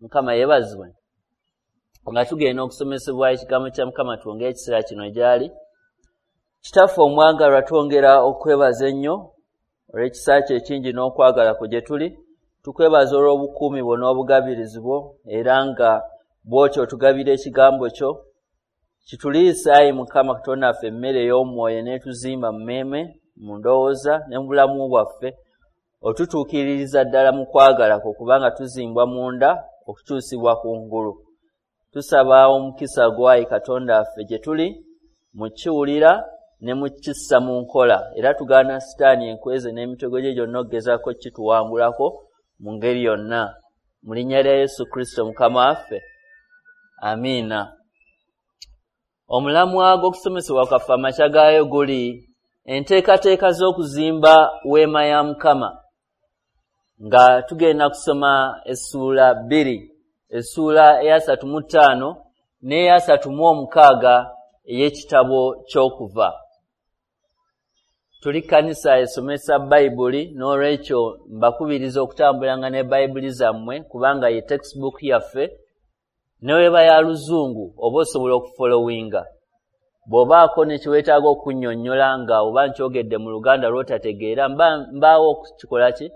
Mukama yeebazibwe. Nga tugenda okusomesebwa ekigambo kya Mukama, twongere ekiseera kino gy'ali. Kitaffe omwagalwa, twongera okwebaza ennyo olw'ekisa kyo ekingi n'okwagala kwo gye tuli. Tukwebaza olw'obukuumi bwo n'obugabirizi bwo, era nga bw'otyo otugabira ekigambo kyo. Kituliisa, ayi Mukama Katonda waffe, emmere ey'omwoyo n'etuzimba mu mmeeme, mu ndowooza ne mu bulamu bwaffe. Otutuukiririza ddala mu kwagala kwo, kubanga tuzimbwa munda okukyusibwa ku ngulu. Tusaba omukisa gwo, ayi Katonda waffe, gye tuli mu kiwulira ne mu kissa mu nkola, era tugaana Sitaani enkweze n'emitego gye gyonna okugezaako kituwangulako mu ngeri yonna. Mu linnya lya Yesu Kristo Mukama waffe, amiina. Omulamwa gw'okusomesebwa kwaffe amakya gaayo guli enteekateeka z'okuzimba weema ya Mukama, nga tugenda kusoma essuula 2, essuula eya 35 n'eya 36 ey'ekitabo ky'Okuva. Tuli kkanisa esomesa Bayibuli, n'olwekyo mbakubiriza okutambulanga ne Bayibuli zammwe, kubanga ye textbook yaffe. Ne weba ya Luzungu oba osobola okufolowinga. Bw'obaako ne kye weetaaga okunnyonnyola nga oba nkyogedde mu Luganda lw'otategeera, mbaawo okukikola ki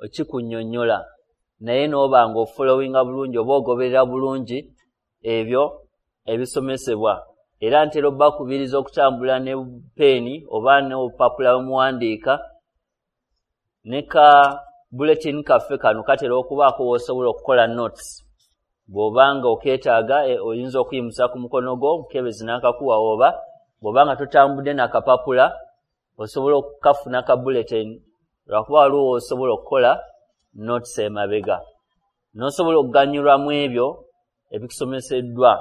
okikunnyonnyola, naye n'oba ng'ofolowinga bulungi oba ogoberera bulungi ebyo ebisomesebwa. Era ntera obbakubiriza okutambula ne peeni oba n'obupapula bwe muwandiika, ne ka bulletin kaffe kano katera okubaako w'osobola okukola notes. Bw'oba nga okeetaaga, oyinza okuyimusa ku mukono gwo, omukebezi n'akakuwa, oba bw'oba nga totambudde n'akapapula, osobola okukafuna ka bulletin, lwakuba waliwo w'osobola okukola notes emabega n'osobola okuganyulwa mu ebyo ebikusomeseddwa.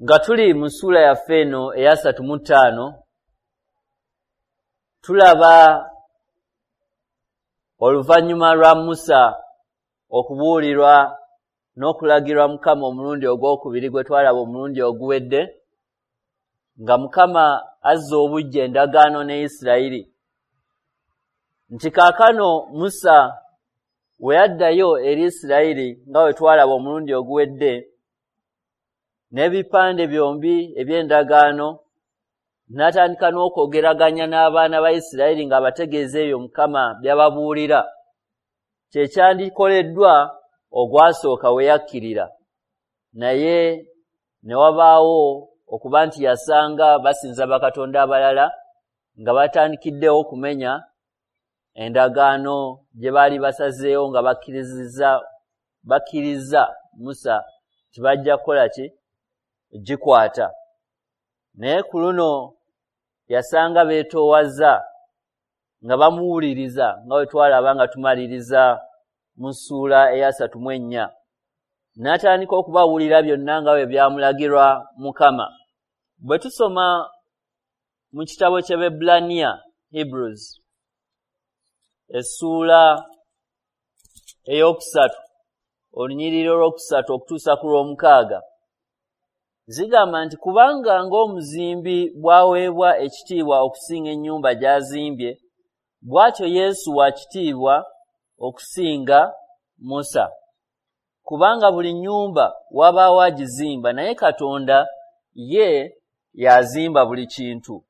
Nga tuli mu ssuula yaffe eno eya 35, tulaba oluvannyuma lwa Musa okubuulirwa n'okulagirwa Mukama omulundi ogwokubiri gwe twalaba omulundi oguwedde, nga Mukama azza obuggya endagaano ne Isirayiri, nti kaakano Musa we yaddayo eri Isirayiri, nga bwe twalaba omulundi oguwedde, n'ebipande byombi eby'endagaano, n'atandika n'okwogeraganya n'abaana ba Isirayiri ng'abategeeza ebyo Mukama by'ababuulira kye kyandikoleddwa ogwasooka we yakkirira. Naye ne wabaawo okuba nti yasanga basinza bakatonda abalala, nga batandikiddewo okumenya endagaano gye baali basazeewo, nga bakkiriza Musa tibajja kukola ki gikwata. Naye ku luno yasanga beetoowaza nga bamuwuliriza, nga bwe twalaba nga tumaliriza mu ssuula eya 34, n'atandika okubawulira byonna nga bwe byamulagirwa Mukama. Bwe tusoma mu kitabo ky'Abaebbulaniya, Hebrews, essuula 3, olunyiriri 3 okutuusa ku 6, zigamba nti, "Kubanga ng'omuzimbi bw'aweebwa ekitiibwa okusinga ennyumba gy'azimbye, bw'atyo Yesu wa kitiibwa okusinga Musa. Kubanga buli nnyumba wabaawo agizimba, naye Katonda ye y'azimba buli kintu.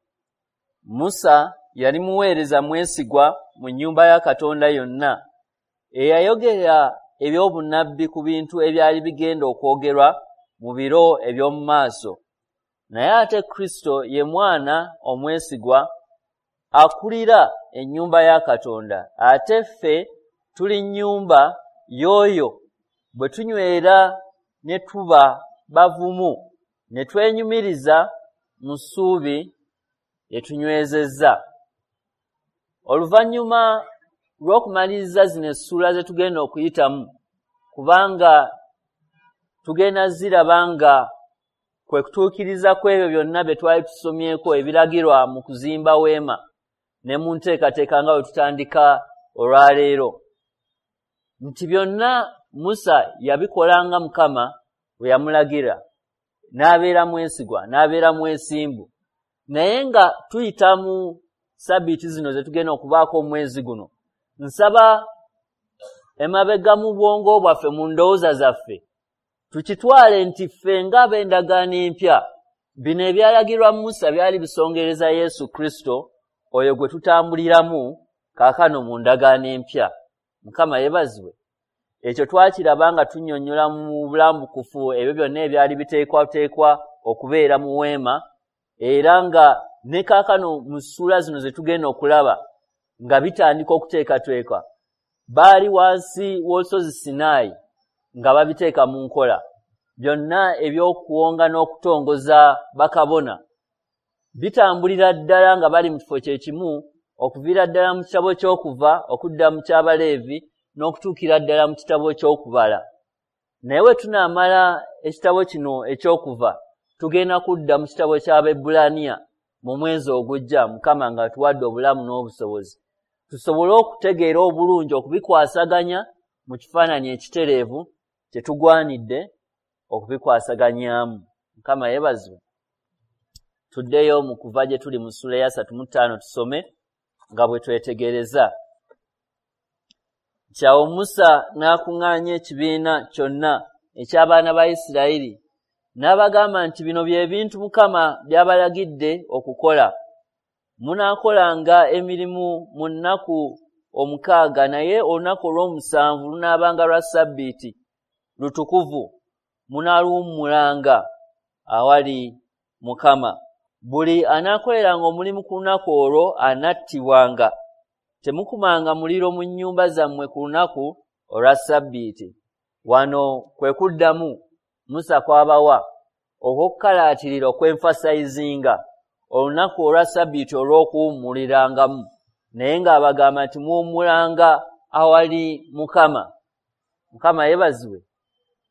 Musa yali muweereza mwesigwa mu nnyumba ya Katonda yonna, eyayogera eby'obunnabbi ku bintu ebyali bigenda okwogerwa mu biro eby'omu maaso. Naye ate Kristo ye mwana omwesigwa akulira ennyumba ya Katonda. Ate ffe tuli nnyumba y'oyo bwe tunywera ne tuba bavumu ne twenyumiriza mu ssuubi lye tunywezezza." Oluvannyuma lw'okumaliriza zino essuula ze tugenda okuyitamu, kubanga tugenda ziraba nga kwe kutuukiriza kw'ebyo byonna bye twali tusomyeko ebiragirwa mu kuzimba weema ne mu nteekateeka nga bwe tutandika olwaleero, nti byonna Musa yabikolanga Mukama bwe yamulagira, n'abeera mwesigwa, n'abeera mwesimbu. Naye nga tuyita mu sabbiiti zino ze tugenda okubaako omwezi guno, nsaba Emabega mu bwongo bwaffe, mu ndowooza zaffe, tukitwale nti ffe ng'ab'endagaano empya, bino ebyalagirwa Musa byali bisongereza Yesu Kristo, oyo gwe tutambuliramu kaakano mu ndagaano empya. Mukama yeebazibwe. Ekyo twakiraba nga tunnyonnyola mu bulambukufu ebyo byonna ebyali biteekwateekwa okubeera mu weema, era nga ne kaakano mu ssuula zino ze tugenda okulaba nga bitandika okuteekateekwa. Baali wansi w'olusozi Sinaayi nga babiteeka mu nkola. Byonna eby'okuwonga n'okutongoza bakabona bitambulira ddala nga bali mu kifo kye kimu, okuviira ddala mu kitabo ky'Okuva okudda mu ky'Abaleevi n'okutuukira ddala mu kitabo ky'Okubala. Naye bwe tunaamala ekitabo kino eky'Okuva, tugenda kudda mu kitabo ky'Abaebbulaniya mu mwezi ogujja, Mukama ng'atuwadde obulamu n'obusobozi, tusobole okutegeera obulungi okubikwasaganya mu kifaananyi ekitereevu kye tugwanidde okubikwasaganyaamu. Mukama yeebazibwe. Tuddeyo mu kuva gye tuli mu ssuula eya 35 tusome nga bwe twetegereza. Nti awo Musa n'akuŋŋaanya ekibiina kyonna eky'abaana ba Isirayiri, n'abagamba nti bino bye bintu Mukama by'abalagidde okukola. Munaakolanga emirimu mu nnaku 6, naye olunaku olw'omusanvu lunaabanga lwa Ssabbiiti lutukuvu, munaaluwummulanga awali Mukama. Buli anaakoleranga omulimu ku lunaku olwo anattibwanga. Temukumanga muliro mu nnyumba zammwe ku lunaku olwa Ssabbiiti. Wano kwe kuddamu Musa kw'abawa okw'okukalaatirira okwenfasayizinga olunaku olwa Ssabbiiti olw'okuwummulirangamu, naye ng'abagamba nti muwummulanga awali Mukama. Mukama yeebazibwe.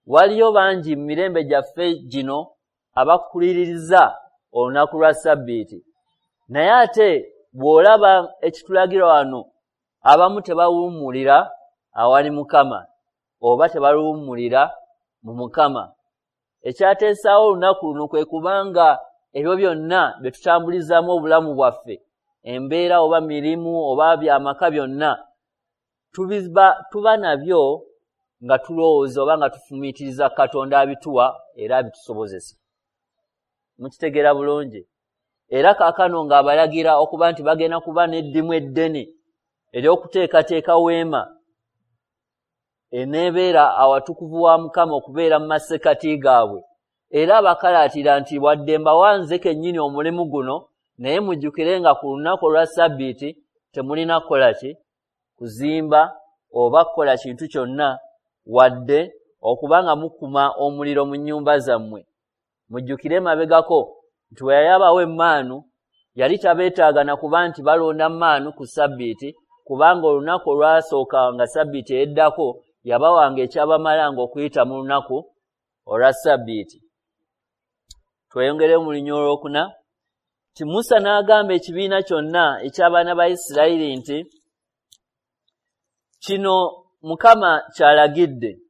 Waliyo bangi mu mirembe gyaffe gino abakuliririza olunaku lwa Ssabbiiti, naye ate bw'olaba ekitulagira wano, abamu tebawummulira awali Mukama oba tebaluwummulira mu Mukama. Ekyateesaawo olunaku luno kwe kubanga ebyo byonna bye tutambulizaamu obulamu bwaffe, embeera oba mirimu oba byamaka byonna, tuba nabyo nga tulowooza oba nga tufumiitiriza Katonda abituwa era abitusobozesa. Mukitegeera bulungi. Era kaakano ng'abalagira okuba nti bagenda kuba n'eddimu eddene ery'okuteekateeka weema eneebeera awatukuvu wa Mukama okubeera mu masekkati gaabwe. Era abakalaatira nti wadde mbawa nze kennyini omulimu guno, naye mujjukire nga ku lunaku olwa Ssabbiiti temulina kukola ki? Kuzimba oba kukola kintu kyonna, wadde okuba nga mukuma omuliro mu nnyumba zammwe. Mujjukire emabegako nti bwe yali abawa emmaanu, yali tabeetaaga na kuba nti balonda mmaanu ku Ssabbiiti, kubanga olunaku olwasooka nga Ssabbiiti eddako yabawanga ekyabamalanga okuyita mu lunaku olwa Ssabbiiti. Tweyongereyo mu lunyiriri olwokuna. Nti Musa n'agamba ekibiina kyonna eky'abaana ba Isirayiri nti kino Mukama ky'alagidde,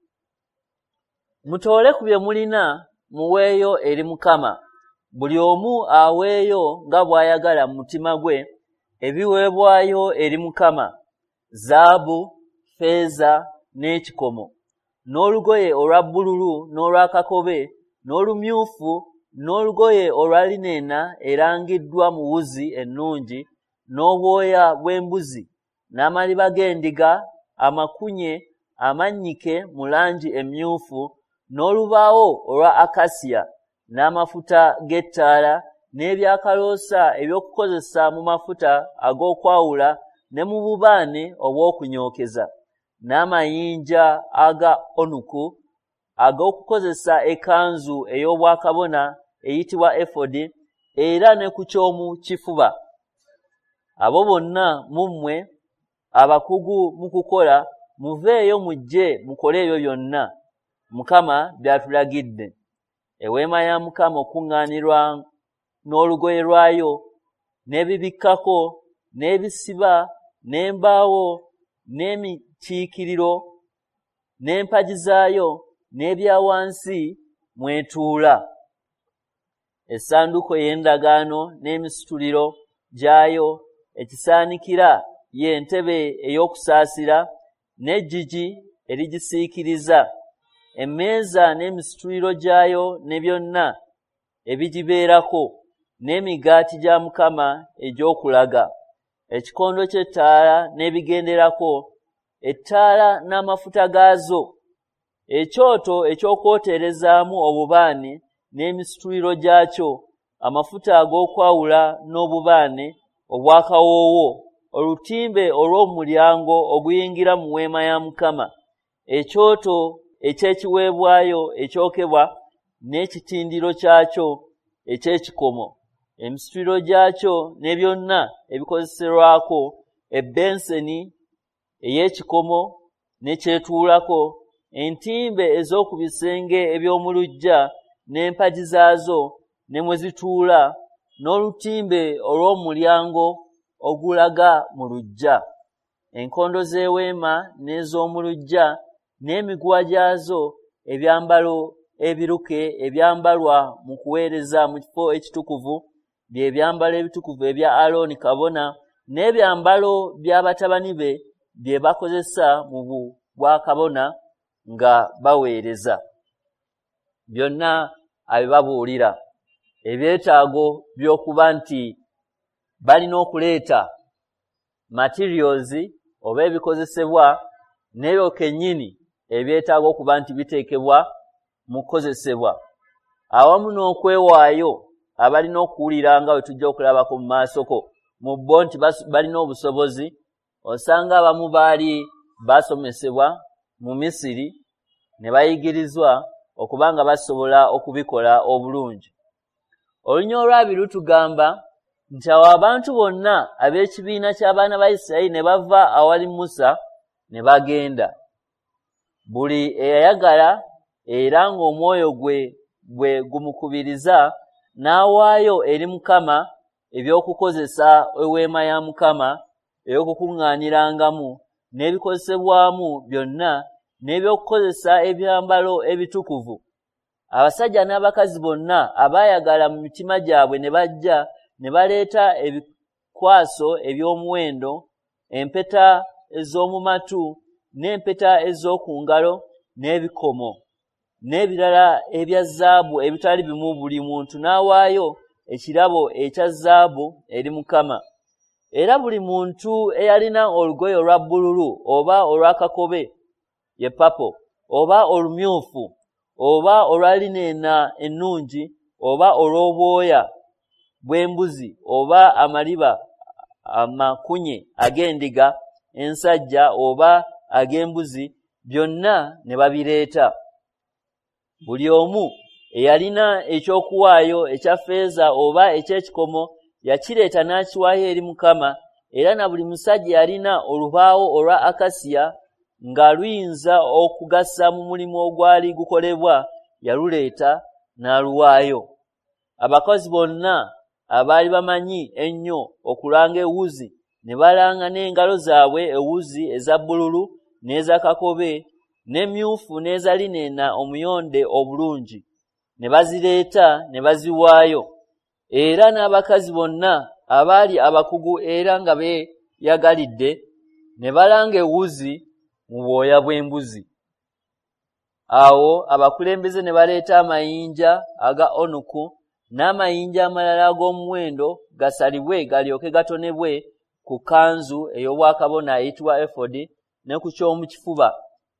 mutoole ku bye mulina muweeyo eri Mukama, buli omu aweeyo nga bw'ayagala mu mutima gwe ebiweebwayo eri Mukama, zaabu, ffeeza n'ekikomo, n'olugoye olwa bbululu n'olwa kakobe n'olumyufu n'olugoye olwa linena erangiddwa mu wuzi ennungi, n'obwoya bw'embuzi n'amaliba g'endiga amakunye amannyike mu langi emmyufu, n'olubaawo olwa akasiya, n'amafuta g'ettaala, n'ebyakaloosa eby'okukozesa mu mafuta ag'okwawula ne mu bubaane obw'okunyookeza, n'amayinja aga onuku ag'okukozesa ekkanzu ey'obwakabona eyitibwa efodi, era ne ku ky'omu kifuba. Abo bonna mu mmwe abakugu mu kukola, muveeyo mujje mukole ebyo byonna Mukama by'atulagidde. Eweema ya Mukama okuŋŋaanirwa n'olugoye lwayo, n'ebibikkako, n'ebisiba, n'embaawo, n'emikiikiriro, n'empagi zaayo, n'ebya wansi mw'etuula. Essanduuko ey'endagaano n'emisituliro gyayo, ekisaanikira ye ntebe ey'okusaasira, n'eggigi erigisiikiriza, emmeeza n'emisituliro gyayo ne byonna ebigibeerako, n'emigaati gya Mukama egy'okulaga, ekikondo ky'ettaala n'ebigenderako, ettaala n'amafuta gaazo, ekyoto eky'okwoterezaamu obubaane n'emisituliro gyakyo, amafuta ag'okwawula n'obubaane obw'akawoowo, olutimbe olw'omulyango oguyingira mu weema ya Mukama, ekyoto eky'ekiweebwayo ekyokebwa n'ekitindiro kyakyo eky'ekikomo, emisituliro gyakyo ne byonna ebikozeserwako, ebbenseni ey'ekikomo ne kyetuulako, entimbe ez'oku bisenge eby'omu luggya n'empagi zaazo ne mwe zituula, n'olutimbe olw'omulyango ogulaga mu luggya, enkondo z'eweema n'ez'omu luggya n'emiguwa gyazo, ebyambalo ebiruke ebyambalwa mu kuweereza mu kifo ekitukuvu, bye byambalo ebitukuvu ebya Alooni kabona, n'ebyambalo bya batabani be bye bakozesa mu bwakabona nga baweereza. Byonna abibabuulira ebyetaago by'okuba nti balina okuleeta materials oba ebikozesebwa n'ebyo kennyini ebyetaaga okuba nti biteekebwa mu kukozesebwa, awamu n'okwewaayo abalina okuwulira nga bwe tujja okulabako mu maasoko mu bo nti balina obusobozi. Osanga abamu baali basomesebwa mu Misiri ne bayigirizwa okuba nga basobola okubikola obulungi. Olunya olwabiri lutugamba nti awo abantu bonna ab'ekibiina ky'abaana ba Isirayiri ne bava awali Musa ne bagenda, buli eyayagala era ng'omwoyo gwe bwe gumukubiriza n'awaayo eri Mukama eby'okukozesa eweema ya Mukama ey'okukuŋŋaanirangamu n'ebikozesebwamu byonna n'ebyokukozesa ebyambalo ebitukuvu. Abasajja n'abakazi bonna abaayagala mu mitima gyabwe ne bajja ne baleeta ebikwaso eby'omuwendo, empeta ez'omu matu n'empeta ez'oku ngalo n'ebikomo n'ebirala ebya zaabu ebitali bimu, buli muntu n'awaayo ekirabo ekya zaabu eri Mukama. Era buli muntu eyalina olugoye olwa bbululu oba olwa kakobe ye papo oba olumyufu oba olwa lineena ennungi oba olw'obwoya bw'embuzi oba amaliba amakunye ag'endiga ensajja oba ag'embuzi, byonna ne babireeta. Buli omu eyalina ekyokuwaayo ekya ffeeza oba eky'ekikomo yakireeta n'akiwaayo eri Mukama. Era na buli musajja yalina olubaawo olwa akasiya nga luyinza okugasa mu mulimu ogwali gukolebwa, yaluleeta n'aluwaayo. Abakozi bonna abaali bamanyi ennyo okulanga ewuzi ne balanga n'engalo zaabwe ewuzi eza bbululu n'eza kakobe n'emmyufu n'eza lineena omuyonde obulungi, ne bazireeta ne baziwaayo. Era n'abakazi bonna abaali abakugu era nga beeyagalidde ne balanga ewuzi mu bwoya bw'embuzi. Awo abakulembeze ne baleeta amayinja aga onuku n'amayinja amalala ag'omuwendo gasalibwe galyoke gatonebwe ku kkanzu ey'obwakabona eyitibwa efodi ne ku ky'omu kifuba.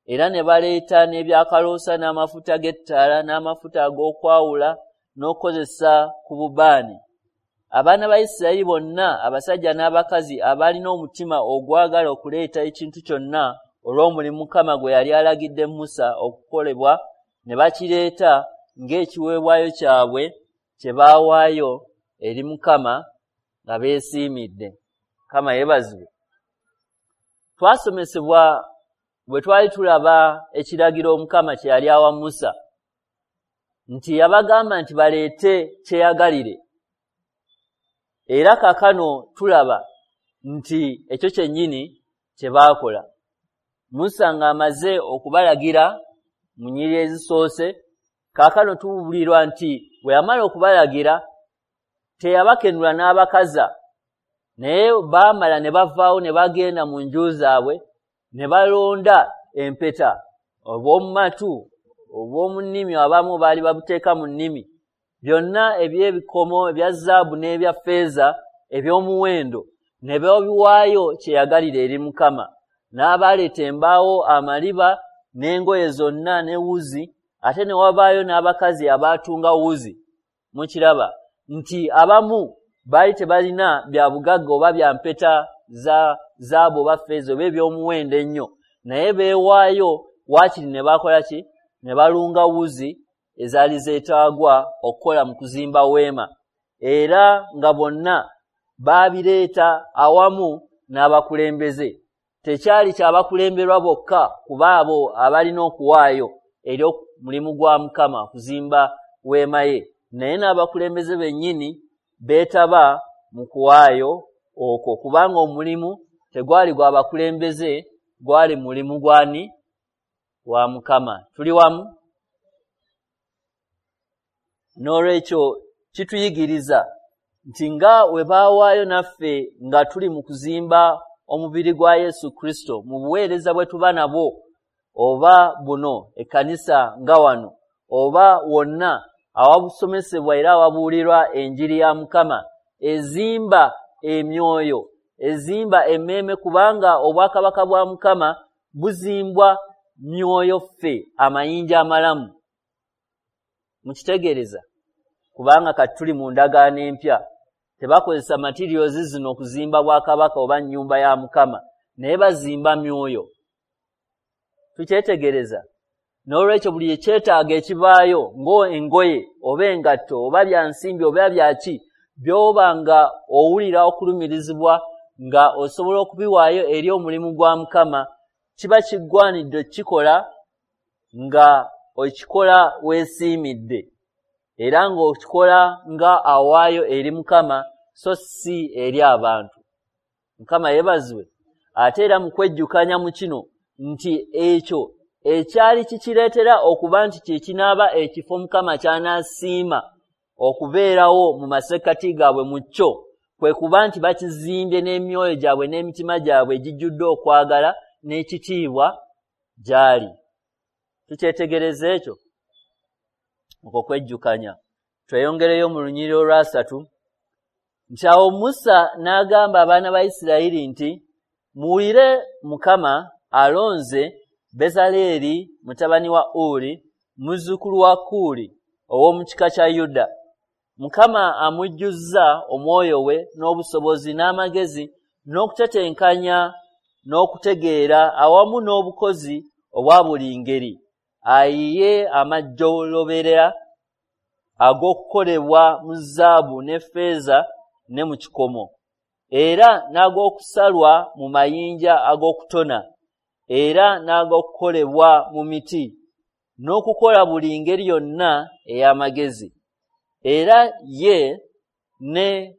Era ne baleeta n'ebyakaloosa n'amafuta g'ettaala n'amafuta ag'okwawula n'okukozesa ku bubaane. Abaana ba Isirayiri bonna abasajja n'abakazi abaalina omutima ogwagala okuleeta ekintu kyonna olw'omulimu Mukama gwe yali alagidde Musa okukolebwa ne bakireeta ng'ekiweebwayo kyabwe kye baawaayo eri Mukama nga beesiimidde. Mukama yeebazibwe. Twasomesebwa bwe twali tulaba ekiragiro Mukama kye yali awa Musa nti yabagamba nti baleete kyeyagalire. Era kaakano tulaba nti ekyo kyennyini kye baakola. Musa ng'amaze okubalagira mu nnyiriri ezisoose, kaakano tuwulirwa nti bwe yamala okubalagira teyabakenula n'abakaza, naye baamala ne bavaawo ne bagenda mu nju zaabwe ne balonda empeta obw'omu matu, obw'omu nnimi, abamu baali babuteeka mu nnimi, byonna eby'ebikomo ebya zaabu n'ebya ffeeza eby'omuwendo ne babiwaayo kyeyagalire eri Mukama. N'abaleeta embaawo, amaliba n'engoye zonna ne wuzi, ate ne wabaayo n'abakazi abaatunga wuzi. Mukiraba nti abamu baali tebalina bya bugagga oba bya mpeta za zaabu oba ffeeza oba eby'omuwendo ennyo, naye beewaayo waakiri ne bakola ki? Ne balunga wuzi ezaali zeetaagwa okukola mu kuzimba weema, era nga bonna baabireeta awamu n'abakulembeze. Tekyali kyabakulemberwa bokka kuba abo abalina okuwaayo eri omulimu gwa Mukama okuzimba weema ye, naye n'abakulembeze bennyini beetaba mu kuwaayo okwo, kubanga omulimu tegwali gwa bakulembeze, gwali mulimu gwani? Wa Mukama. Tuli wamu? N'olwekyo kituyigiriza nti nga we baawaayo naffe nga tuli mu kuzimba omubiri gwa Yesu Kristo mu buweereza bwe tuba nabwo, oba buno ekkanisa nga wano, oba wonna awabusomesebwa era awabuulirwa enjiri ya Mukama, ezimba emyoyo, ezimba emmeeme, kubanga obwakabaka bwa Mukama buzimbwa myoyo ffe amayinja amalamu. Mukitegeereza? Kubanga kati tuli mu ndagaano empya, tebakozesa materials zino okuzimba bwakabaka oba nnyumba ya Mukama, naye bazimba myoyo. Tukyetegereza? N'olwekyo buli ekyetaago ekibaayo ng'engoye oba engatto oba bya nsimbi oba byaki, by'oba nga owulira okulumirizibwa nga osobola okubiwaayo eri omulimu gwa Mukama, kiba kiggwanidde okukikola nga okikola weesiimidde, era ng'okikola nga awaayo eri Mukama so si eri abantu. Mukama yeebazibwe. Ate era mu kwejjukanya mu kino nti ekyo ekyali kikireetera okuba nti kye kinaaba ekifo Mukama ky'anaasiima okubeerawo mu masekkati gaabwe mu kyo, kwe kuba nti bakizimbye n'emyoyo gyabwe n'emitima gyabwe egijjudde okwagala n'ekitiibwa gy'ali. Tukyetegereza ekyo? Okwo kwejjukanya. Tweyongereyo mu lunyiriri olwasatu nti awo Musa n'agamba abaana ba Isirayiri nti, muwulire, Mukama alonze Bezaleeri mutabani wa Uri, muzzukulu wa Kuuli ow'omu kika kya Yuda. Mukama amujjuzza omwoyo we n'obusobozi n'amagezi n'okutetenkanya n'okutegeera awamu n'obukozi obwa buli ngeri, ayiye amajjolobera ag'okukolebwa mu zaabu ne ffeeza ne mu kikomo, era n'ag'okusalwa mu mayinja ag'okutona, era n'ag'okukolebwa mu miti, n'okukola buli ngeri yonna ey'amagezi. Era ye ne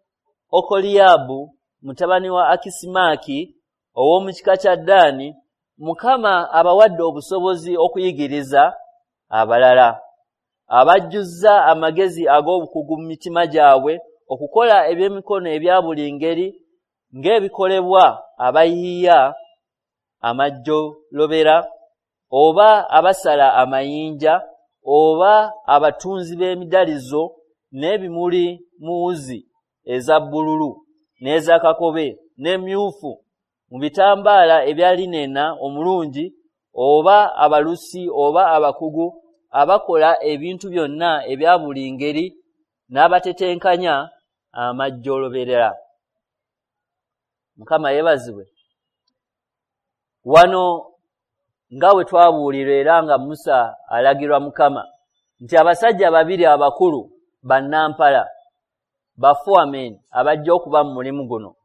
Okoliyaabu mutabani wa Akisimaaki ow'omu kika kya Ddaani, Mukama abawadde obusobozi okuyigiriza abalala, abajjuzza amagezi ag'obukugu mu mitima gyabwe okukola eby'emikono ebya buli ngeri ng'ebikolebwa abayiiya amajjolobera, oba abasala amayinja, oba abatunzi b'emidalizo n'ebimuli mu wuzi eza bbululu n'eza kakobe n'emyufu mu bitambaala ebya linena omulungi, oba abalusi oba abakugu abakola ebintu byonna ebya buli ngeri n'abatetenkanya amajjolobera. Mukama yeebazibwe. Wano nga bwe twabuulirwa era nga Musa alagirwa Mukama nti abasajja babiri abakulu bannampala ba foremen abajja okuba mu mulimu guno,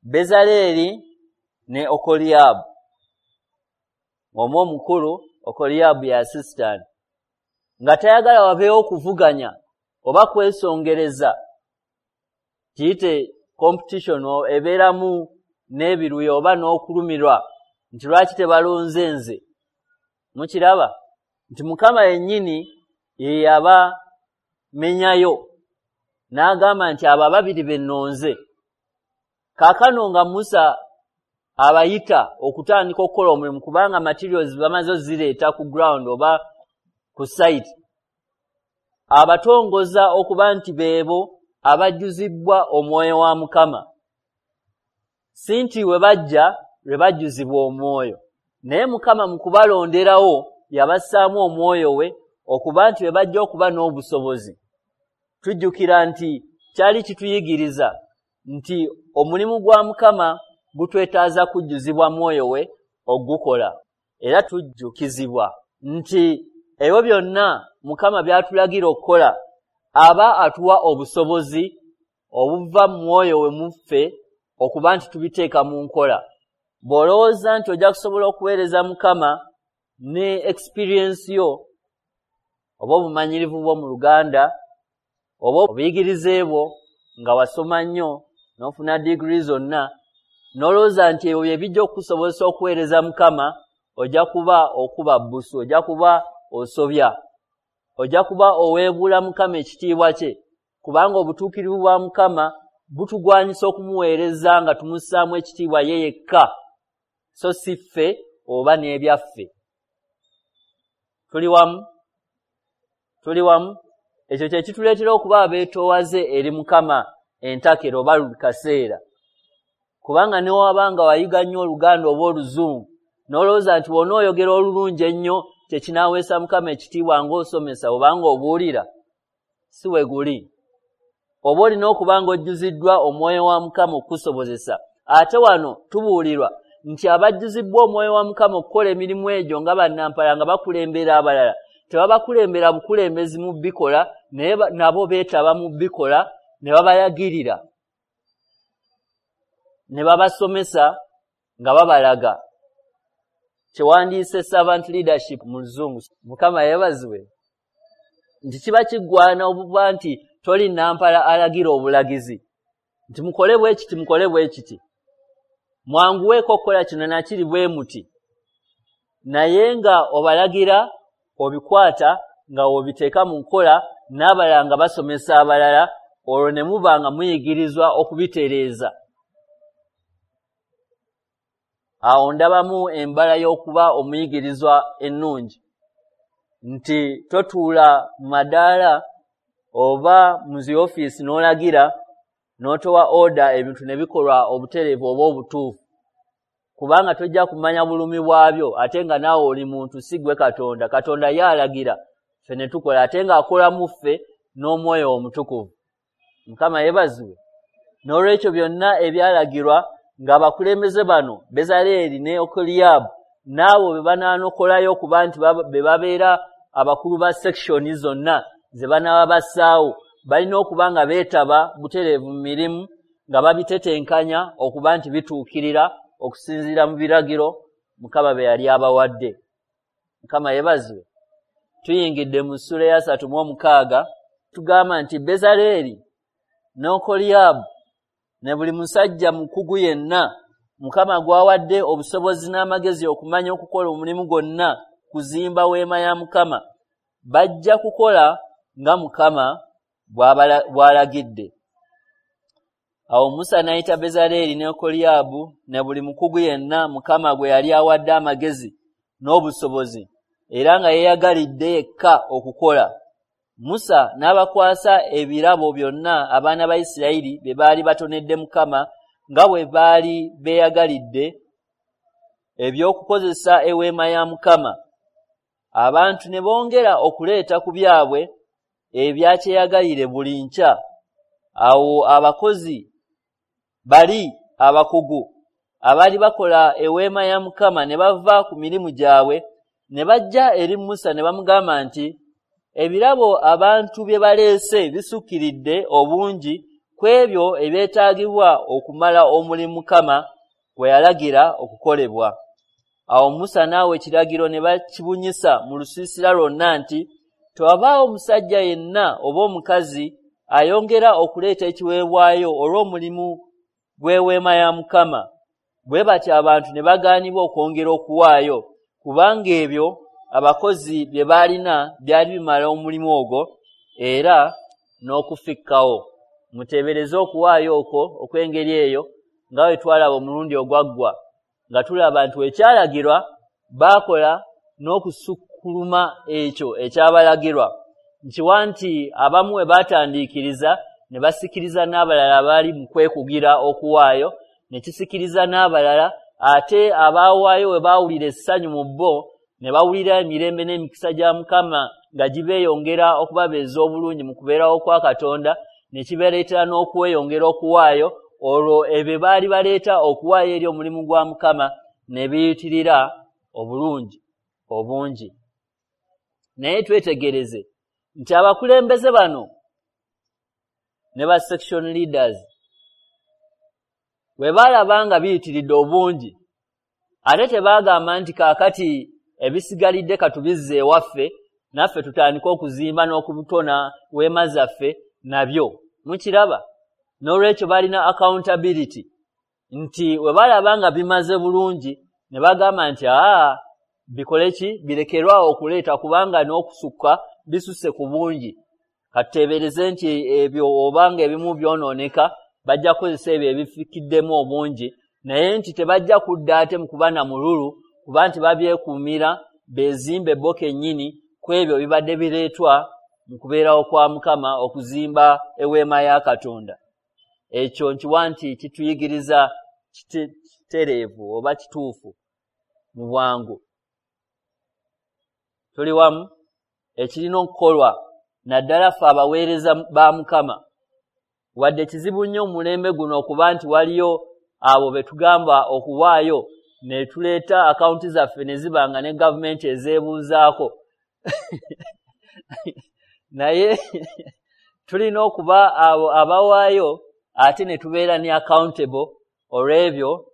Bezaleeri ne Okoliyaabu. Omu omukulu, Okoliyaabu ye assistant, nga tayagala wabeewo okuvuganya oba kwesongereza, kiyite competition ebeeramu n'ebiruyi oba n'okulumirwa nti lwaki tebalonze nze. Mukiraba nti Mukama yennyini ye yabamenyayo n'agamba nti abo ababiri be nnonze. Kaakano nga Musa abayita okutandika okukola omulimu, kubanga materials bamaze ozireeta ku ground oba ku site, abatongoza okuba nti beebo abajjuzibwa omwoyo wa Mukama. Si nti we bajja lwe bajjuzibwa omwoyo, naye Mukama mu kubalonderawo yabassaamu omwoyo we okuba nti bwe bajja okuba n'obusobozi. Tujjukira nti kyali kituyigiriza nti omulimu gwa Mukama gutwetaaza kujjuzibwa mwoyo we ogukola. Era tujjukizibwa nti ebyo byonna Mukama by'atulagira okukola, aba atuwa obusobozi obuva mu mwoyo we muffe okuba nti tubiteeka mu nkola. Bw'olowooza nti ojja kusobola okuweereza Mukama ne experience yo oba obumanyirivu bwo mu Luganda oba obuyigirize bwo nga wasoma nnyo n'ofuna digiri zonna, n'olowooza nti ebyo bye bijja okukusobozesa okuweereza Mukama, ojja kuba okuba bbusu, ojja kuba osobya, ojja kuba oweebuula Mukama ekitiibwa kye, kubanga obutuukirivu bwa Mukama butugwanyisa okumuweereza nga tumussaamu ekitiibwa ye yekka, so si ffe oba n'ebyaffe. Tuli wamu? Tuli wamu? Ekyo kye kituleetera okuba abeetoowaze eri Mukama entakera oba buli kaseera. Kubanga ne waba nga wayiga nnyo Oluganda oba Oluzungu, n'olowooza nti bw'onooyogera olulungi ennyo kye kinaaweesa Mukama ekitiibwa ng'osomesa oba ng'obuulira, si we guli. Oba olina okuba ng'ojjuziddwa omwoyo wa Mukama okukusobozesa. Ate wano tubuulirwa nti abajjuzibbwa omwoyo wa Mukama okukola emirimu egyo nga bannampala nga bakulembera abalala, tebabakulembera bukulembezi mu bikola, naye nabo beetaba mu bikola ne babayagirira, ne babasomesa nga babalaga. Kyewandiise servant leadership mu Luzungu. Mukama yeebazibwe nti kiba kiggwana obuba nti toli nampala alagira obulagizi nti mukole bwe kiti, mukole bwe kiti, mwanguweeko okukola kino nakiri bwe muti, naye nga obalagira obikwata nga obiteeka mu nkola, n'abalala nga basomesa abalala, olwo ne muba nga muyigirizwa okubitereeza. Awo ndabamu embala y'okuba omuyigirizwa ennungi, nti totuula mu madaala oba mu zi ofiisi n'olagira n'otowa order ebintu ne bikolwa obutereevu oba obutuufu, kubanga tojja kumanya bulumi bwabyo, ate nga naawe oli muntu, si ggwe Katonda. Katonda ye alagira ffe ne tukola, ate ng'akola mu ffe n'omwoyo omutukuvu. Mukama yeebazibwe. N'olwekyo byonna ebyalagirwa ng'abakulembeze bano Bezaleeri ne Okoliyaabu n'abo be banaanokolayo okuba nti be babeera abakulu ba section zonna ze banaaba bassaawo, balina okuba nga beetaba butereevu mu mirimu nga babitetenkanya okuba nti bituukirira okusinziira mu biragiro Mukama bye yali abawadde. Mukama yeebazibwe. Tuyingidde mu ssuula eya 36, tugamba nti Bezaleeri ne Okoliyaabu ne buli musajja mukugu yenna Mukama gw'awadde obusobozi n'amagezi okumanya okukola omulimu gwonna kuzimba weema ya Mukama, bajja kukola nga Mukama bw'alagidde. Awo Musa n'ayita Bezaleeri ne Okoliyaabu ne buli mukugu yenna Mukama gwe yali awadde amagezi n'obusobozi, era nga yeeyagalidde yekka okukola. Musa n'abakwasa ebirabo byonna abaana ba Isirayiri bye baali batonedde Mukama nga bwe baali beeyagalidde eby'okukozesa eweema ya Mukama. Abantu ne bongera okuleeta ku byabwe ebyakyeyagalire buli nkya. Awo abakozi bali abakugu abaali bakola eweema ya Mukama ne bava ku mirimu gyabwe ne bajja eri Musa ne bamugamba nti, ebirabo abantu bye baleese bisukkiridde obungi ku ebyo ebyetaagibwa okumala omulimu Mukama gwe yalagira okukolebwa. Awo Musa n'awa ekiragiro ne bakibunyisa mu lusiisira lwonna nti, tewabaawo musajja yenna oba omukazi ayongera okuleeta ekiweebwayo olw'omulimu gw'eweema ya Mukama. Bwe batyo abantu ne bagaanibwa okwongera okuwaayo, kubanga ebyo abakozi bye baalina byali bimala omulimu ogwo era n'okufikkawo. Muteebereze okuwaayo okwo okw'engeri eyo nga bwe twalaba omulundi ogwaggwa. Nga tulaba nti ekyalagirwa baakola n'okusukkuluma ekyo ekyabalagirwa. Nkiwa nti abamu we baatandiikiriza ne basikiriza n'abalala baali mu kwekugira okuwaayo, ne kisikiriza n'abalala, ate abaawaayo we baawulira essanyu mu bo ne bawulira emirembe n'emikisa gya Mukama nga gibeeyongera okubabeeza obulungi mu kubeerawo kwa Katonda, ne kibeereetera n'okweyongera okuwaayo. Olwo ebyo baali baleeta okuwaayo eri omulimu gwa Mukama ne biyitirira obulungi obungi. Naye twetegereze nti abakulembeze bano ne ba section leaders bwe baalaba nga biyitiridde obungi, ate tebaagamba nti kaakati ebisigalidde katubizze ewaffe naffe tutandike okuzimba n'okutona weema zaffe nabyo. Mukiraba? N'olwekyo balina accountability nti we balaba nga bimaze bulungi ne bagamba nti bikole ki, birekerwawo okuleeta kubanga n'okusukka bisusse ku bungi. Katuteebereze nti ebyo obanga ebimu byonooneka bajja kukozesa ebyo ebifikiddemu obungi, naye nti tebajja kudda ate mu kuba na mululu kuba nti babyekuumira beezimbe bo kennyini ku ebyo bibadde bireetwa mu kubeerawo kwa Mukama okuzimba eweema ya Katonda. Ekyo nkiwa nti kituyigiriza kitereevu oba kituufu mu bwangu. Tuli wamu? Ekirina okukolwa naddala ffe abaweereza ba Mukama. Wadde kizibu nnyo mu mulembe guno okuba nti waliyo abo be tugamba okuwaayo ne tuleeta akawunti zaffe ne ziba nga ne gavumenti ezeebuuzaako. Naye tulina okuba abo abawaayo ate ne tubeera ne accountable olw'ebyo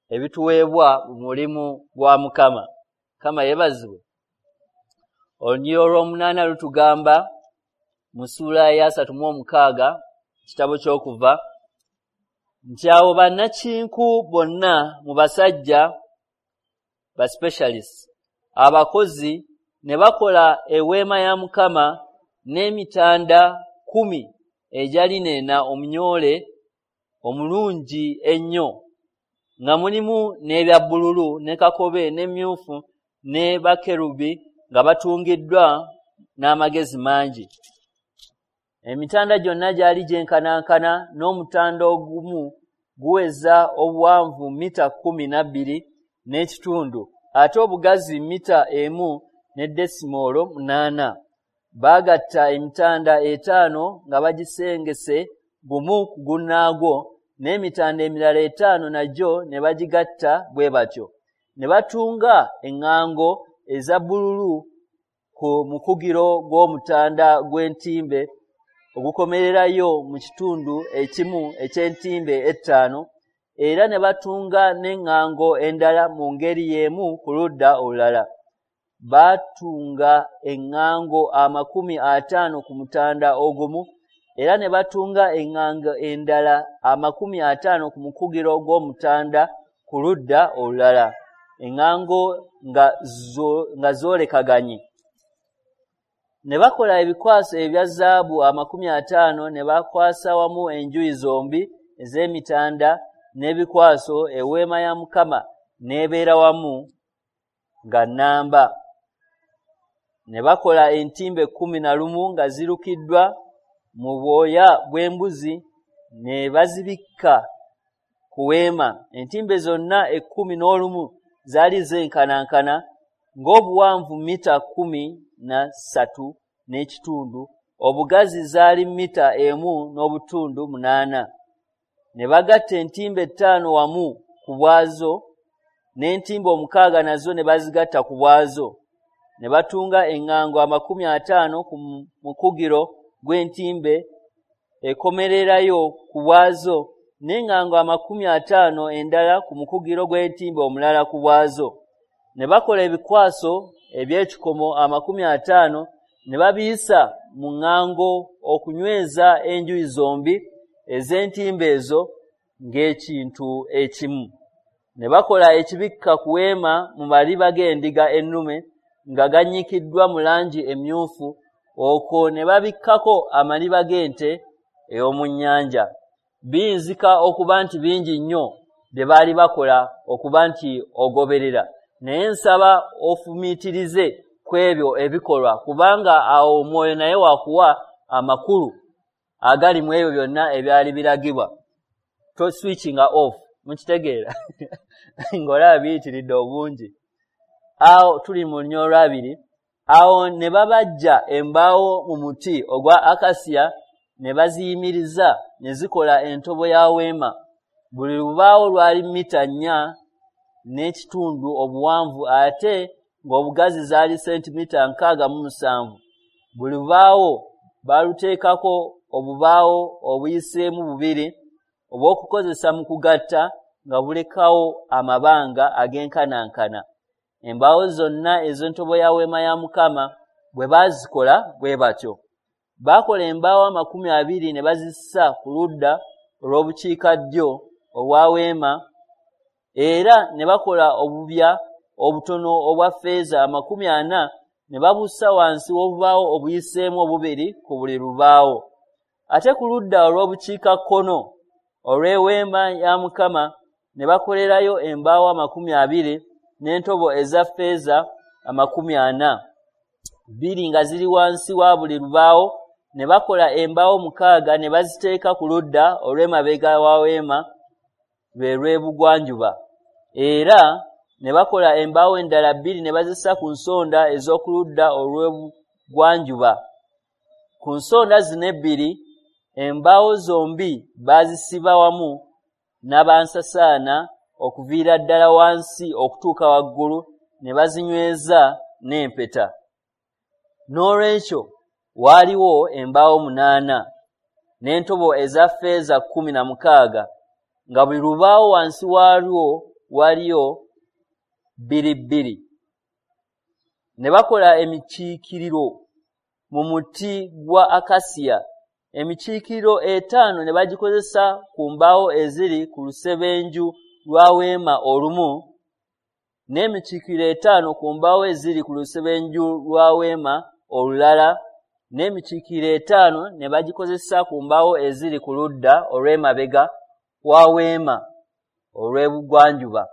ebituweebwa mu mulimu gwa Mukama. Mukama yeebazibwe. Olunyiriri olw'omunaana lutugamba mu ssuula ya 36 kitabo ky'Okuva nti awo bannakinku bonna mu basajja ba specialists abakozi ne bakola eweema ya Mukama n'emitanda 10 egya linena omunyoole omulungi ennyo, nga mulimu n'ebya bbululu ne kakobe n'emmyufu ne bakerubi nga batungiddwa n'amagezi mangi. Emitanda gyonna gyali gyenkanankana, n'omutanda ogumu guweza obuwanvu mita 12 n'ekitundu, ate obugazi mita 1.8. Baagatta emitanda 5 nga bagisengese gumu ku gunnaagwo, n'emitanda emirala 5 nagyo ne bagigatta bwe batyo. Ne batunga eŋŋango eza bbululu ku mukugiro gw'omutanda gw'entimbe ogukomererayo mu kitundu ekimu eky'entimbe 5, era ne batunga n'eŋŋango endala mu ngeri y'emu ku ludda olulala. Baatunga eŋŋango 50 ku mutanda ogumu, era ne batunga eŋŋango endala 50 ku mukugiro gw'omutanda ku ludda olulala, eŋŋango nga zoolekaganye. Ne bakola ebikwaso ebya zaabu 50 ne bakwasa wamu enjuyi zombi ez'emitanda n'ebikwaso, eweema ya Mukama n'ebeera wamu nga nnamba. Ne bakola entimbe 11 nga zirukiddwa mu bwoya bw'embuzi ne bazibikka ku weema. Entimbe zonna 11 zaali zenkanankana, ng'obuwanvu mita 13 n'ekitundu, obugazi zaali mita 1.8. Ne bagatta entimbe 5 wamu ku bwazo, n'entimbe 6 nazo ne bazigatta ku bwazo. Ne batunga eŋŋango 50 ku mukugiro gw'entimbe ekomererayo ku bwazo, n'eŋŋango 50 endala ku mukugiro gw'entimbe omulala ku bwazo. Ne bakola ebikwaso eby'ekikomo 50 ne babiyisa mu ŋŋango okunyweza enjuyi zombi ez'entimbe ezo ng'ekintu ekimu. Ne bakola ekibikka ku weema mu maliba g'endiga ennume nga gannyikiddwa mu langi emmyufu, okwo ne babikkako amaliba g'ente ey'omu nnyanja. Biyinzika okuba nti bingi nnyo bye baali bakola okuba nti ogoberera, naye nsaba ofumiitirize ku ebyo ebikolwa, kubanga awo omwoyo naye wakuwa amakulu agali mu ebyo byonna ebyali biragibwa. To switchinga off, mukitegeera? Ng'olaba biyitiridde obungi. Awo tuli mu lunyiriri olwabiri. Awo ne babajja embaawo mu muti ogwa akasiya ne baziyimiriza ne zikola entobo ya weema. Buli lubaawo lwali mita 4.5 obuwanvu, ate ng'obugazi zaali sentimita 67. Buli lubaawo baaluteekako obubaawo obuyiseemu bubiri obw'okukozesa mu kugatta, nga bulekawo amabanga ag'enkanankana. Embaawo zonna ez'entobo ya weema ya Mukama bwe baazikola bwe batyo. Baakola embaawo 20 ne bazissa ku ludda olw'obukiikaddyo obwa weema, era ne bakola obubya obutono obwa ffeeza 40 ne babussa wansi w'obubaawo obuyiseemu obubiri ku buli lubaawo. Ate ku ludda olw'obukiikakkono olw'eweema ya Mukama ne bakolerayo embaawo 20 n'entobo eza ffeeza 40, bbiri nga ziri wansi wa buli lubaawo. Ne bakola embaawo 6 ne baziteeka ku ludda olw'emabega wa weema lwe lw'ebugwanjuba. Era ne bakola embaawo endala 2 ne bazissa ku nsonda ez'oku ludda olw'ebugwanjuba. Ku nsonda zino ebbiri embaawo zombi baazisiba wamu n'abansasaana okuviira ddala wansi okutuuka waggulu, ne bazinyweza n'empeta. N'olwekyo waaliwo embaawo 8 n'entobo eza ffeeza 16, nga buli lubaawo wansi waalwo waliyo bbiri bbiri. Ne bakola emikiikiriro mu muti gwa akasiya. Emikiikiriro 5 ne bagikozesa ku mbaawo eziri ku lusebenju lwa weema olumu, n'emikiikiriro 5 ku mbaawo eziri ku lusebenju lwa weema olulala, n'emikiikiriro 5 ne bagikozesa ku mbaawo eziri ku ludda olw'emabega wa weema olw'ebugwanjuba.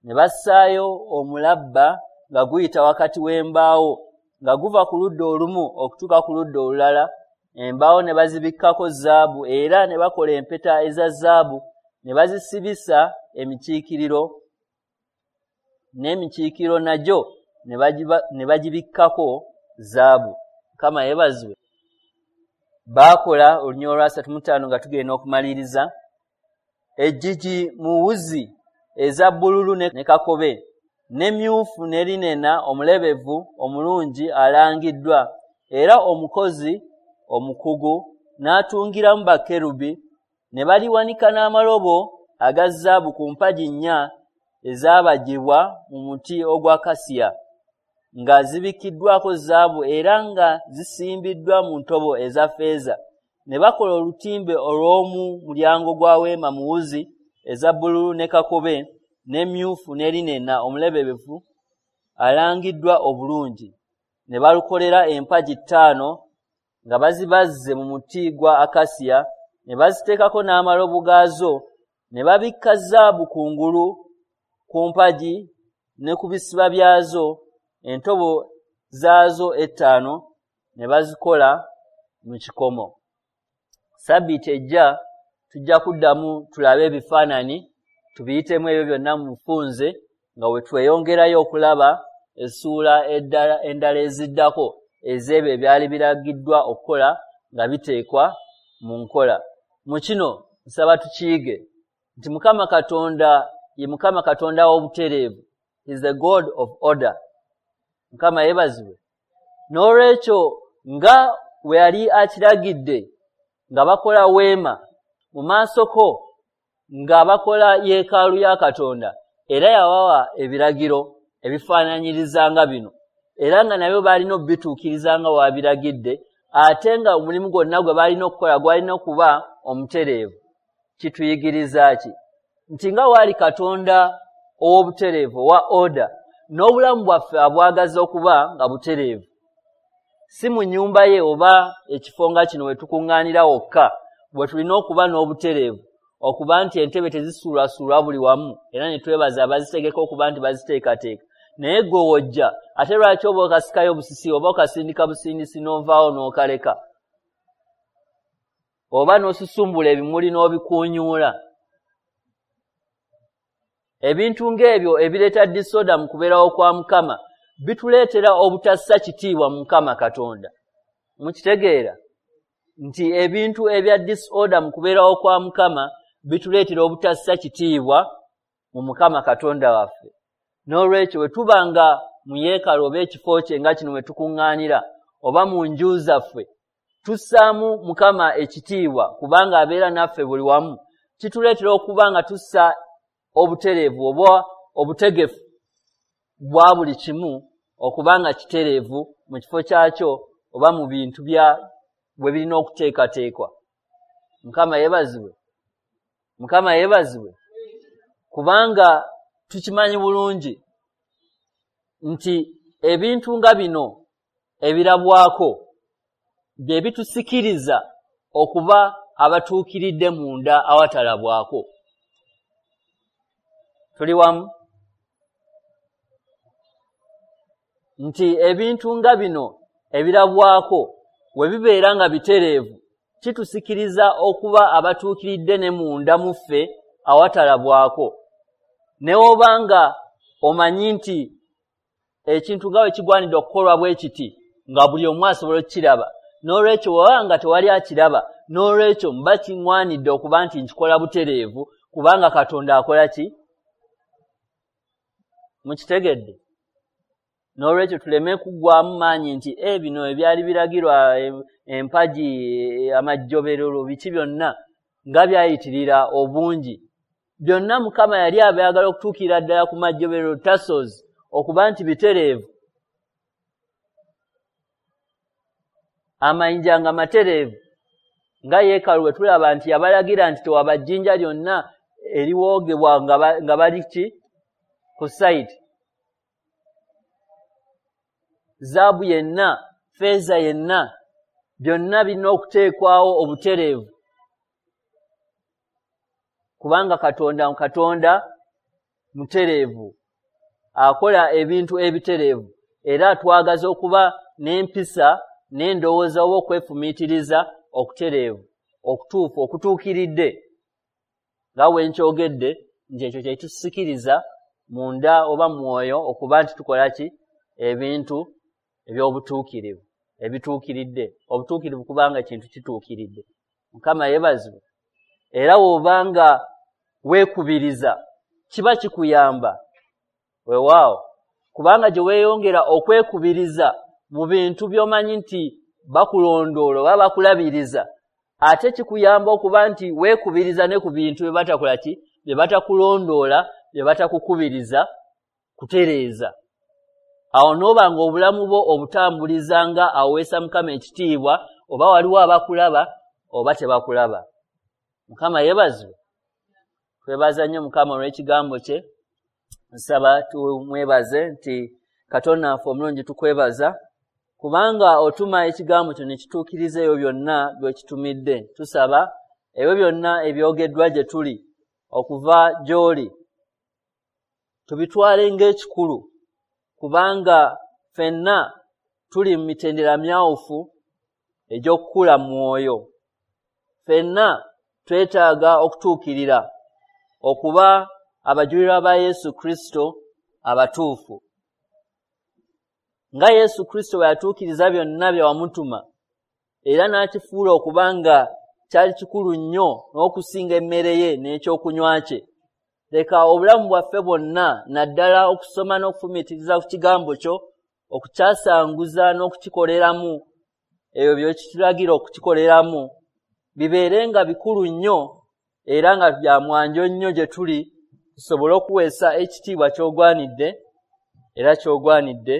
Ne bassaayo omulabba nga guyita wakati w'embaawo, nga guva ku ludda olumu okutuuka ku ludda olulala. Embaawo ne bazibikkako zaabu, era ne bakola empeta eza zaabu ne bazisibisa emikiikiriro, n'emikiikiriro nagyo ne bagibikkako zaabu. Mukama yeebazibwe. Baakola olunyiriri olwa 35 nga tugenda okumaliriza. Eggigi mu wuzi eza bbululu ne kakobe, n'emmyufu ne linena omulebevu omulungi alangiddwa, era omukozi omukugu n'atungiramu bakerubi, ne baliwanika n'amalobo aga zaabu ku mpagi 4 ezaabajjibwa mu muti ogwa kasiya, nga zibikkiddwako zaabu era nga zisimbiddwa mu ntobo eza ffeeza. Ne bakola olutimbe olw'omu mulyango gwa weema mu wuzi eza bbululu ne kakobe n'emmyufu ne linena omulebevu alangiddwa obulungi. Ne balukolera empagi 5 nga bazibazze mu muti gwa akasiya, ne baziteekako n'amalobo gaazo, ne babikka zaabu kungulu ku mpagi ne ku bisiba byazo. Entobo zaazo 5 ne bazikola mu kikomo. Sabbiiti ejja tujja kuddamu tulabe ebifaananyi, tubiyitemu ebyo byonna mu bufunze, nga we tweyongerayo okulaba essuula endala eziddako ez'ebyo ebyali biragiddwa okukola nga biteekwa mu nkola. Mu kino nsaba tukiyige nti Mukama Katonda ye Mukama Katonda w'obutereevu. He is the God of order. Mukama yeebazibwe. N'olwekyo nga we yali akiragidde nga bakola weema mu maaso ko nga bakola yeekaalu ya Katonda, era yabawa ebiragiro ebifaananyiriza nga bino, era nga nabyo baalina okubituukiriza nga wabiragidde, ate nga omulimu gwonna gwe baalina okukola gwalina okuba omutereevu. Kituyigiriza ki? Nti nga waali Katonda ow'obutereevu, owa order, n'obulamu bwaffe abwagaza okuba nga butereevu. Si mu nnyumba ye oba ekifo nga kino we tukuŋŋaanira wokka bwe tulina okuba n'obutereevu, okuba nti entebe tezisuulwasuulwa buli wamu, era ne twebaza abazitegeka okuba nti baziteekateeka. Naye gwe wojja, ate lwaki oba okasikayo busisi oba okasindika busindisi n'ovaawo n'okaleka, oba n'osusumbula ebimuli n'obikuunyuula? Ebintu ng'ebyo ebireeta disorder mu kubeerawo kwa Mukama bituleetera obutassa kitiibwa mu Mukama Katonda. Mukitegeera nti ebintu ebya disorder mu kubeerawo kwa Mukama bituleetera obutassa kitiibwa mu Mukama Katonda waffe. N'olwekyo bwe tuba nga mu yeekaalu oba ekifo kye nga kino we tukuŋŋaanira, oba mu nju zaffe, tussaamu Mukama ekitiibwa kubanga abeera naffe buli wamu. Kituleetera okuba nga tussa obutereevu oba obutegefu bwa buli kimu okuba nga kitereevu mu kifo kyakyo oba mu bintu bya bwe birina okuteekateekwa. Mukama yeebazibwe. Mukama yeebazibwe. Kubanga tukimanyi bulungi nti ebintu nga bino ebirabwako bye bitusikiriza okuba abatuukiridde munda awatalabwako. Tuli wamu? Nti ebintu nga bino ebirabwako we bibeera nga bitereevu, kitusikiriza okuba abatuukiridde ne munda mu ffe awatalabwako. Ne oba nga omanyi nti ekintu nga bwe kigwanidde okukolwa bwe kiti, nga buli omu asobola okukiraba, n'olwekyo bw'oba nga tewali akiraba, n'olwekyo mba kiŋŋwanidde okuba nti nkikola butereevu, kubanga Katonda akola ki? Mukitegedde? N'olwekyo tuleme kuggwaamu maanyi nti bino ebyali biragirwa, empagi, amajjoberero, biki byonna nga byayitirira obungi. Byonna Mukama yali abyagala okutuukirira ddala ku majjoberero, tassels, okuba nti bitereevu. Amayinja nga matereevu, nga yeekaalu bwe tulaba nti yabalagira nti tewaba jjinja lyonna eriwoogebwa nga bali ki ku site. Zaabu yenna, ffeeza yenna, byonna birina okuteekwawo obutereevu, kubanga Katonda mutereevu, akola ebintu ebitereevu, era atwagaza okuba n'empisa n'endowooza oba okwefumiitiriza okutereevu, okutuufu, okutuukiridde. Nga bwe nkyogedde nti ekyo kye kitusikiriza munda oba mwoyo okuba nti tukola ki? Ebintu eby'obutuukirivu, ebituukiridde. Obutuukirivu kubanga kintu kituukiridde. Mukama yeebazibwe. Era bw'obanga weekubiriza, kiba kikuyamba. Weewaawo, kubanga gye weeyongera okwekubiriza mu bintu by'omanyi nti bakulondoola oba bakulabiriza, ate kikuyamba okuba nti weekubiriza ne ku bintu bye batakola ki? Bye batakulondoola, bye batakukubiriza kutereeza. Awo n'oba ng'obulamu bwo obutambuliza nga aweesa Mukama ekitiibwa, oba waliwo abakulaba oba tebakulaba. Mukama yeebazibwe. Twebaza nnyo Mukama olw'ekigambo kye. Nsaba tumwebaze nti Katonda waffe omulungi, tukwebaza kubanga otuma ekigambo kyo ne kituukiriza ebyo byonna by'okitumidde. Tusaba ebyo byonna ebyogeddwa gye tuli okuva gy'oli tubitwale ng'ekikulu, kubanga ffenna tuli mu mitendera myawufu egy'okukula mu mwoyo. Ffenna twetaaga okutuukirira okuba abajulirwa ba Yesu Kristo abatuufu. Nga Yesu Kristo bwe yatuukiriza byonna bye wamutuma, era n'akifuula okuba nga kyali kikulu nnyo n'okusinga emmere ye n'ekyokunywa kye, leka obulamu bwaffe bwonna, naddala okusoma n'okufumiitiriza ku kigambo kyo, okukyasanguza n'okukikoleramu ebyo by'okitulagira okukikoleramu, bibeere nga bikulu nnyo era nga bya mwanjo nnyo gye tuli, tusobole okuweesa ekitiibwa ky'ogwanidde era ky'ogwanidde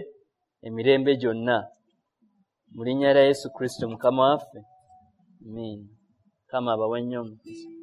emirembe gyonna. Mu linnya lya Yesu Kristo Mukama waffe, amiina. Mukama abawe nnyo omukisa.